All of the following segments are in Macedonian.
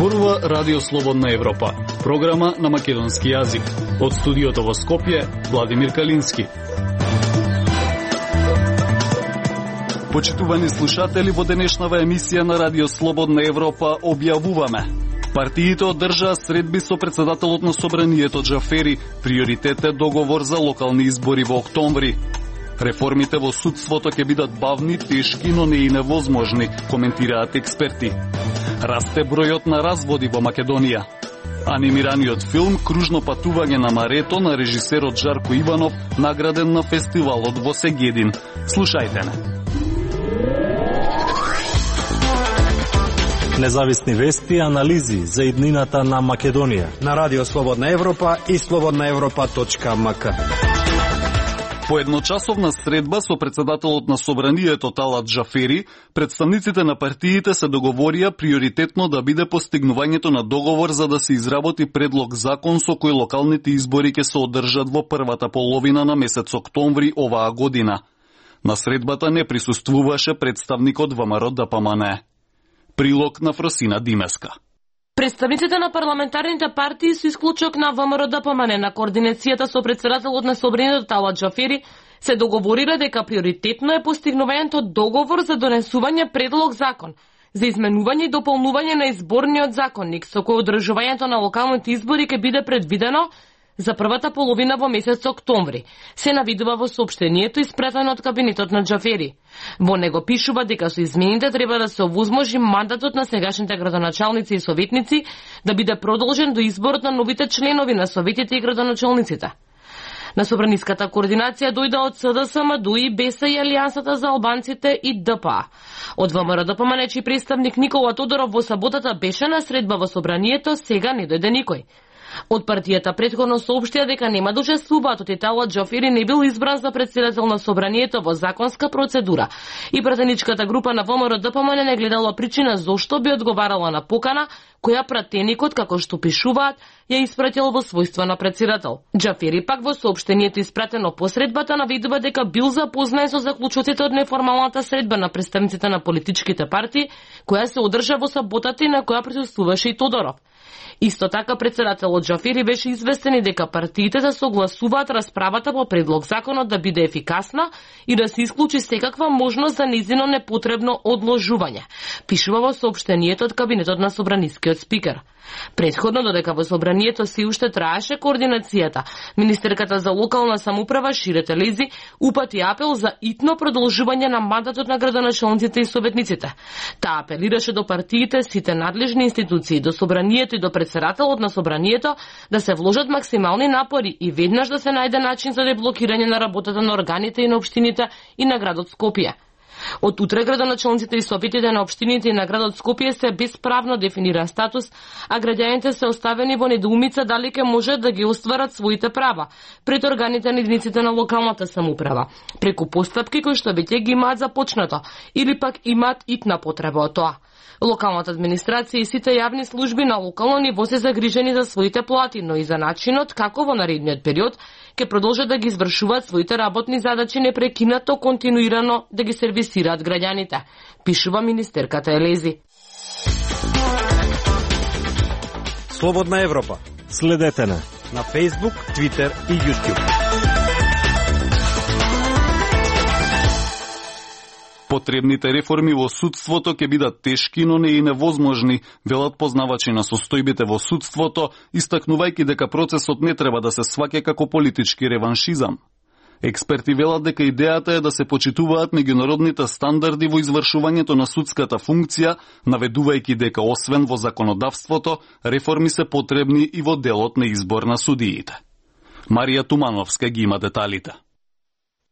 Зборува Радио Слободна Европа, програма на македонски јазик. Од студиото во Скопје, Владимир Калински. Почитувани слушатели, во денешнава емисија на Радио Слободна Европа објавуваме: партиите одржаа средби со председателот на Собранието Џафери, приоритет е договор за локални избори во октомври. Реформите во судството ќе бидат бавни, тешки, но не и невозможни, коментираат експерти. Расте бројот на разводи во Македонија. Анимираниот филм Кружно патување на марето на режисерот Жарко Иванов награден на фестивалот во Сегедин. Слушајте не. Независни вести и анализи за иднината на Македонија на Радио Слободна Европа и slobodnaevropa.mk. По едночасовна средба со председателот на Собранието Талат Џафери, представниците на партиите се договорија приоритетно да биде постигнувањето на договор за да се изработи предлог закон со кој локалните избори ќе се одржат во првата половина на месец октомври оваа година. На средбата не присуствуваше представникот ВМРО-ДПМНЕ. Прилог на Фросина Димеска. Представниците на парламентарните партии со исклучок на ВМРО-ДПМНЕ на координацијата со председателот на Собранието Талат Џафери се договорира дека приоритетно е постигнувањето договор за донесување предлог закон за изменување и дополнување на изборниот законник со кој одржувањето на локалните избори ќе биде предвидено за првата половина во месец октомври, се навидува во соопштението испратено од кабинетот на Џафери. Во него пишува дека со измените треба да се овозможи мандатот на сегашните градоначалници и советници да биде продолжен до изборот на новите членови на советите и градоначалниците. На собраниската координација дојде од СДСМ, ДУИ, БЕСА и Алијансата за албанците и ДПА. Од ВМРО-ДПМНЕ чиј представник Никола Тодоров во саботата беше на средба во собранието, сега не дојде никој. Од партијата претходно соопштија дека нема да учествуваат од Талат Џафери не бил избран за председател на Собранието во законска процедура и пратеничката група на ВМРО-ДПМНЕ не гледала причина зошто би одговарала на покана која пратеникот, како што пишуваат, ја испратил во својство на председател. Џафери пак во соопштението испратено по средбата навидува дека бил запознаен со заклучоците од неформалната средба на представниците на политичките партии, која се одржа во саботата и на која присуствуваше и Тодоров. Исто така председателот Џафери беше известен и дека партиите да согласуваат расправата по предлог законот да биде ефикасна и да се исклучи секаква можност за нејзино непотребно одложување, пишува во соопштението од кабинетот на собранискиот спикер. Претходно, додека во собранието се уште траеше координацијата, министерката за локална самоуправа Шире Телези упати апел за итно продолжување на мандатот на градоначалниците и советниците. Таа апелираше до партиите, сите надлежни институции, до собранието и до председателот на собранието да се вложат максимални напори и веднаш да се најде начин за деблокирање на работата на органите и на општините и на градот Скопје. Од утре градоначалниците и советите на општините и на градот Скопје се без правно дефиниран статус, а граѓаните се оставени во недоумица дали ќе можат да ги остварат своите права пред органите на единиците на локалната самоуправа, преку постапки кои што веќе ги имаат започнато или пак имаат итна потреба од тоа. Локалната администрација и сите јавни служби на локално ниво се загрижени за своите плати, но и за начинот како во наредниот период ќе продолжат да ги извршуваат своите работни задачи непрекинато, континуирано да ги сервисираат граѓаните, пишува министерката Елези. Слободна Европа. Следете на Facebook, Twitter и YouTube. Потребните реформи во судството ќе бидат тешки, но не и невозможни, велат познавачи на состојбите во судството, истакнувајќи дека процесот не треба да се сваќа како политички реваншизам. Експерти велат дека идејата е да се почитуваат меѓународните стандарди во извршувањето на судската функција, наведувајќи дека освен во законодавството, реформи се потребни и во делот на избор на судиите. Марија Тумановска ги има деталите.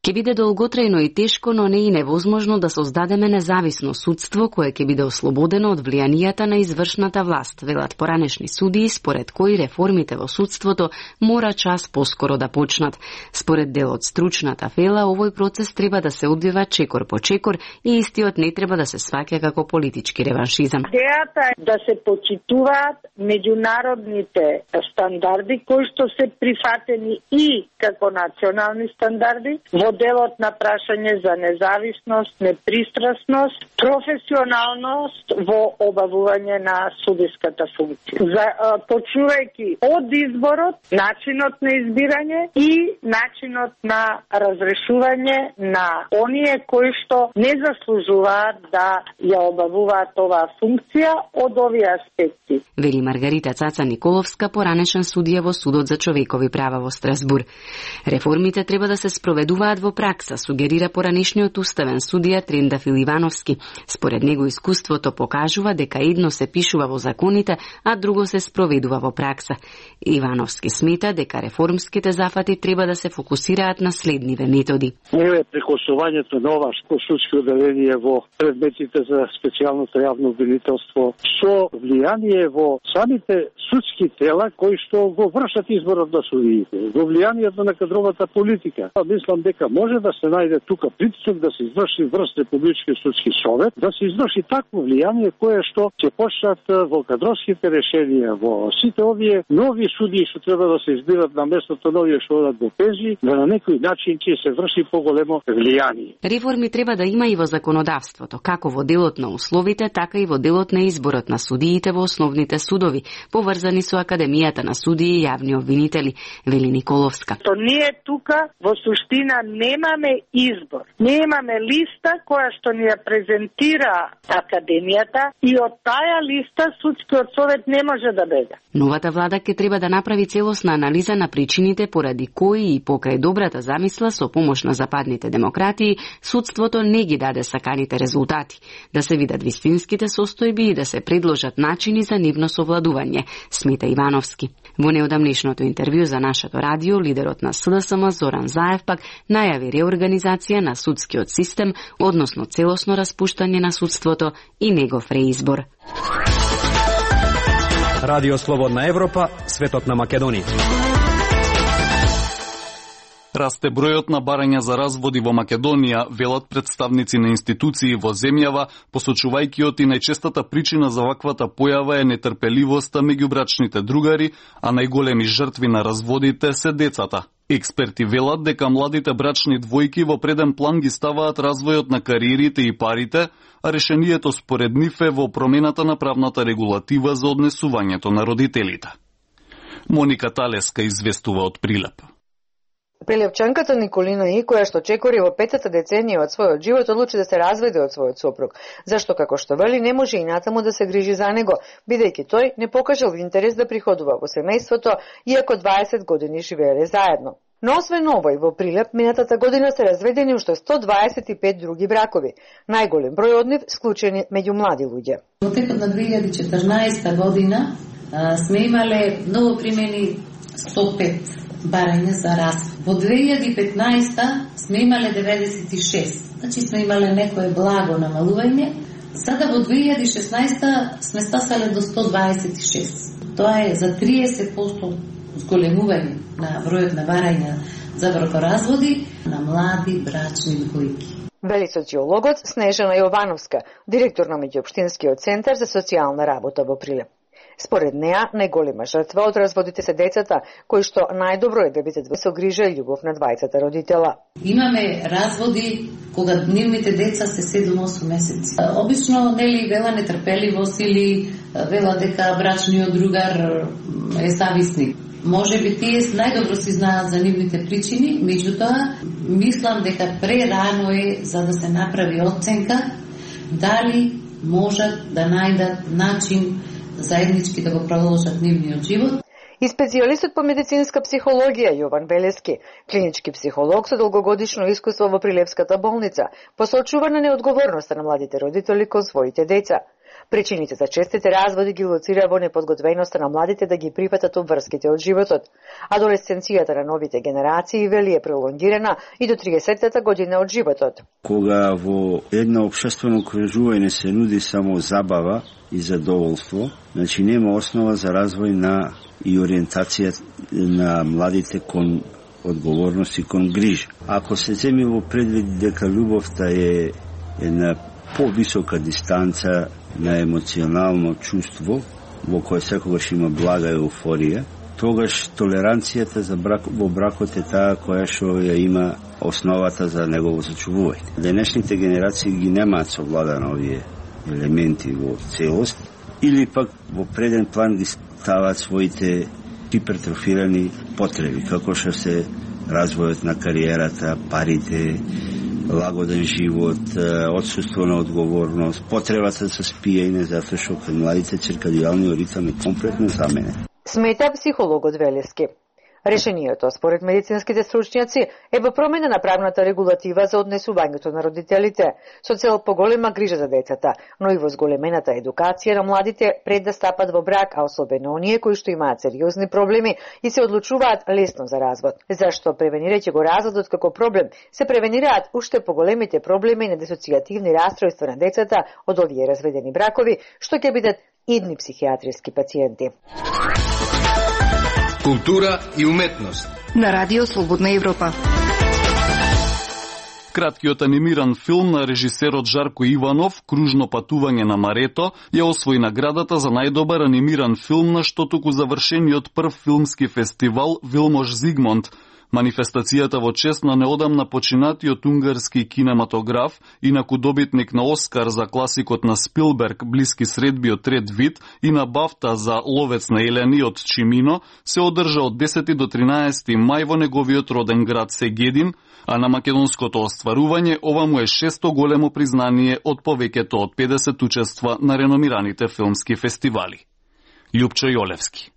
Ќе биде долготрајно и тешко, но не и невозможно да создадеме независно судство кое ќе биде ослободено од влијанијата на извршната власт, велат поранешни судии, според кои реформите во судството мора час поскоро да почнат. Според дел од стручната вела, овој процес треба да се одвива чекор по чекор и истиот не треба да се сваќа како политички реваншизам. Идејата е да се почитуваат меѓународните стандарди кои што се прифатени и како национални стандарди во моделот на прашање за независност, непристрасност, професионалност во обавување на судиската функција. Почнувајќи од изборот, начинот на избирање и начинот на разрешување на оние кои што не заслужуваат да ја обавуваат оваа функција од овие аспекти. Вели Маргарита Цаца Николовска, поранешен судија во Судот за човекови права во Страсбур. Реформите треба да се спроведуваат во пракса, сугерира поранешниот уставен судија Трендафил Ивановски. Според него искуството покажува дека едно се пишува во законите, а друго се спроведува во пракса. Ивановски смета дека реформските зафати треба да се фокусираат на следниве методи. Еве прекосувањето на ова судско одделение во предметите за специјалното јавно обвинителство со влијание во самите судски тела кои што го вршат изборот на судиите, во влијанието на кадровата политика. Мислам дека може да се најде тука притисок да се изврши врз Републички судски совет, да се изврши такво влијание кое што ќе почнат во кадровските решенија, во сите овие нови судии што треба да се избират на местото на овие што одат во пензии, да на некој начин ќе се врши поголемо влијание. Реформи треба да има и во законодавството, како во делот на условите, така и во делот на изборот на судиите во основните судови, поврзани со Академијата на судии и јавни обвинители, вели Николовска. То ние тука во суштина немаме избор. Немаме листа која што ни ја презентира Академијата и од таа листа судскиот совет не може да бега. Новата влада ќе треба да направи целосна анализа на причините поради кои и покрај добрата замисла со помош на западните демократии судството не ги даде саканите резултати, да се видат вистинските состојби и да се предложат начини за нивно совладување, смета Ивановски. Во неодамнешното интервју за нашето радио, лидерот на СДСМ Зоран Заев пак најави реорганизација на судскиот систем, односно целосно распуштање на судството и негов реизбор. Радио Слободна Европа, светот на Македонија. Расте бројот на барања за разводи во Македонија, велат представници на институции во земјава, посочувајќи и најчестата причина за ваквата појава е нетрпеливоста меѓу брачните другари, а најголеми жртви на разводите се децата. Експерти велат дека младите брачни двојки во преден план ги ставаат развојот на кариерите и парите, а решението според нив е во промената на правната регулатива за однесувањето на родителите. Моника Талеска известува од Прилеп. Прилепчанката Николина И, која што чекори во 5-та деценија од својот живот, одлучи да се разведе од својот сопруг, зашто, како што вели, не може и натаму да се грижи за него, бидејќи тој не покажал интерес да приходува во семејството, иако 20 години живееле заедно. Но освен овој, во Прилеп минатата година се разведени уште 125 други бракови, најголем број од нив склучени меѓу млади луѓе. Во текот на 2014 година сме имале ново примени 105 барања за развод. Во 2015 сме имале 96, значи сме имале некое благо намалување. Сада во 2016 сме стасале до 126. Тоа е за 30% зголемување на бројот на барања за бракоразводи на млади брачни двојки. Вели социологот Снежана Јовановска, директор на Меѓуопштинскиот центар за социјална работа во Прилеп. Според неа, најголема жртва од разводите се децата, кои што најдобро е да бидат со грижа и љубов на двајцата родитела. Имаме разводи кога нивните деца се 7-8 месеци. Обично нели вела нетрпеливост или вела дека брачниот другар е зависник. Може би тие најдобро си знаат за нивните причини, меѓутоа мислам дека прерано е за да се направи оценка дали можат да најдат начин заеднички да го продолжат нивниот живот. И специјалистот по медицинска психологија Јован Белески, клинички психолог со долгогодишно искуство во Прилепската болница, посочува на неодговорноста на младите родители кон своите деца. Причините за честите разводи ги лоцира во неподготвеността на младите да ги прифатат обврските од животот. Адолесценцијата на новите генерации вели е пролонгирана и до 30-та година од животот. Кога во едно општествено окружување се нуди само забава и задоволство, значи нема основа за развој на и ориентација на младите кон одговорност и кон грижа. Ако се земи во предвид дека љубовта е една повисока дистанца на емоционално чувство, во кој секогаш има блага еуфорија, тогаш толеранцијата за во бракот е таа која што ја има основата за негово зачувување. Денешните генерации ги немаат совладано овие елементи во целост, или пак во преден план ги ставаат своите хипертрофирани потреби, како што се развојот на кариерата, парите, лагоден живот, отсуство на одговорност, потребата за спиење, затоа што кај младите циркадијалниот ритам е комплетно заменен. Смета психологот Велевски. Решението, според медицинските стручњаци, е во промена на правната регулатива за однесувањето на родителите, со цел поголема грижа за децата, но и во зголемената едукација на младите пред да стапат во брак, а особено оние кои што имаат сериозни проблеми и се одлучуваат лесно за развод. Зашто превенирајќи го разводот како проблем, се превенираат уште поголемите проблеми на дисоцијативни растројства на децата од овие разведени бракови, што ќе бидат идни психијатриски пациенти. Култура и уметност на Радио Слободна Европа. Краткиот анимиран филм на режисерот Жарко Иванов, Кружно патување на Марето, ја освои наградата за најдобар анимиран филм на што туку завршениот прв филмски фестивал Вилмош Зигмунд. Манифестацијата во чест на неодамна починатиот унгарски кинематограф, инаку добитник на Оскар за класикот на Спилберг Блиски средбиот трет вид и на Бафта за Ловец на елени од Чимино, се одржа од 10 до 13 мај во неговиот роден град Сегедин, а на македонското остварување ова му е шесто големо признание од повеќето од 50 учества на реномираните филмски фестивали. Љупчо Јолевски.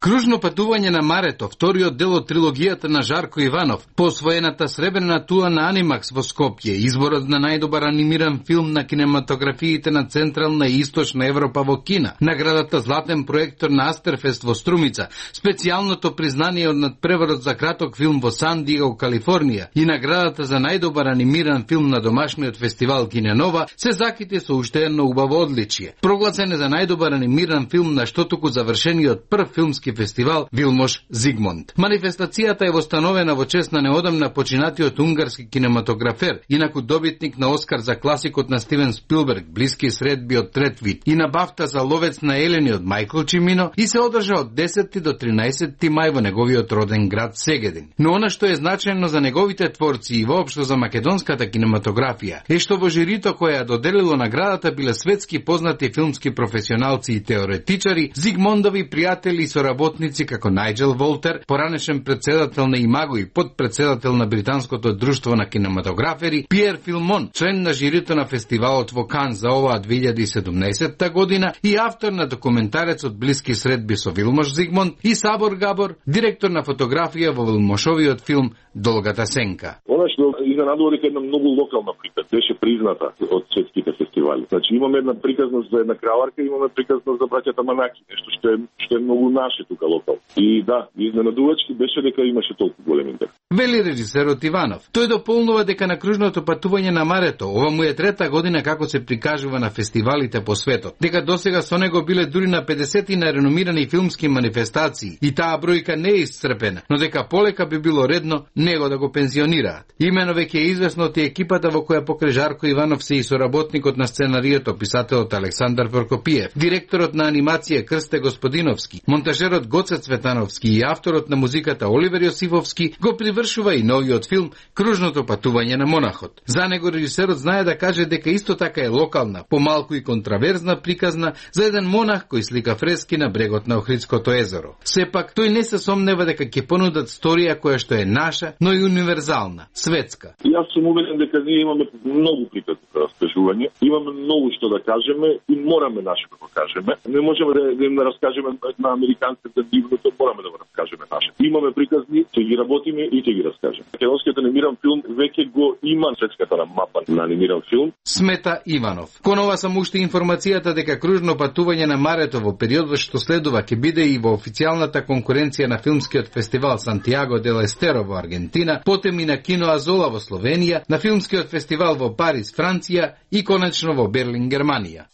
Кружно патување на Марето, вториот дел од трилогијата на Жарко Иванов, по освоената сребрена туа на Анимакс во Скопје, изборот на најдобар анимиран филм на кинематографиите на Централна и Источна Европа во Кина, наградата Златен проектор на Астерфест во Струмица, специјалното признание од надпреварот за краток филм во Сан Диего, Калифорнија и наградата за најдобар анимиран филм на домашниот фестивал Киненова се закити со уште едно убаво одличие. Прогласен е за најдобар анимиран филм на што туку завршениот прв филмски фестивал Вилмош Зигмунд. Манифестацијата е востановена во чест на неодамна починатиот унгарски кинематографер, инаку добитник на Оскар за класикот на Стивен Спилберг Блиски средбиот трет вид и на Бафта за Ловец на елени од Мајкл Чимино и се одржа од 10 до 13 мај во неговиот роден град Сегедин. Но она што е значајно за неговите творци и воопшто за македонската кинематографија е што во жирито која ја доделило наградата биле светски познати филмски професионалци и теоретичари, Зигмундови пријатели и соработници како Најджел Волтер, поранешен председател на Имаго и подпредседател на Британското друштво на кинематографери, Пиер Филмон, член на жирито на фестивалот во Кан за оваа 2017 година и автор на документарецот Блиски средби со Вилмош Зигмунд и Сабор Габор, директор на фотографија во Вилмошовиот филм Долгата сенка. Она што изненадува дека една многу локална приказ беше призната од светските фестивали. Значи имаме една приказност за една краварка, имаме приказност за браќата Манаки, нешто што е многу наше тука локал. И да, изненадувачки беше дека имаше толку голем интерес. Вели режисерот Иванов. Тој дополнува дека на кружното патување на Марето, ова му е трета година како се прикажува на фестивалите по светот. Дека досега со него биле дури на 50 на реномирани филмски манифестации и таа бројка не е исцрпена, но дека полека би било редно него да го пензионираат. Имено веќе е известно од екипата во која покрај Жарко Иванов се и соработникот на сценарието, писателот Александар Прокопиев, директорот на анимација Крсте Господиновски, монтажерот Гоце Цветановски и авторот на музиката Оливер Јосифовски го привршува и новиот филм Кружното патување на монахот. За него режисерот знае да каже дека исто така е локална, помалку и контраверзна приказна за еден монах кој слика фрески на брегот на Охридското езеро. Сепак тој не се сомнева дека ќе понудат сторија која што е наша, но и универзална, светска. Јас сум убеден дека ние имаме многу приказни за раскажување, имаме многу што да кажеме и мораме наше да го кажеме. Не можеме да им раскажеме на американците дивното, мораме да го раскажеме наше. Имаме приказни, ќе ги работиме и ќе ги раскажеме. Македонскиот анимиран филм веќе го има светската мапа на анимиран филм. Смета Иванов. Кон ова само уште информацијата дека кружно патување на Марето во периодот што следува ќе биде и во официјалната конкуренција на филмскиот фестивал Сантиаго дел Естеро во Аргентина, потем и на Кино Азола во Словенија, на филмскиот фестивал во Париз, Франција и конечно во Берлин, Германија.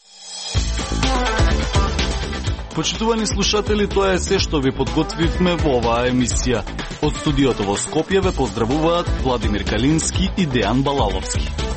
Почитувани слушатели, тоа е се што ви подготвивме во оваа емисија. Од студиото во Скопје ве поздравуваат Владимир Калински и Дејан Балаловски.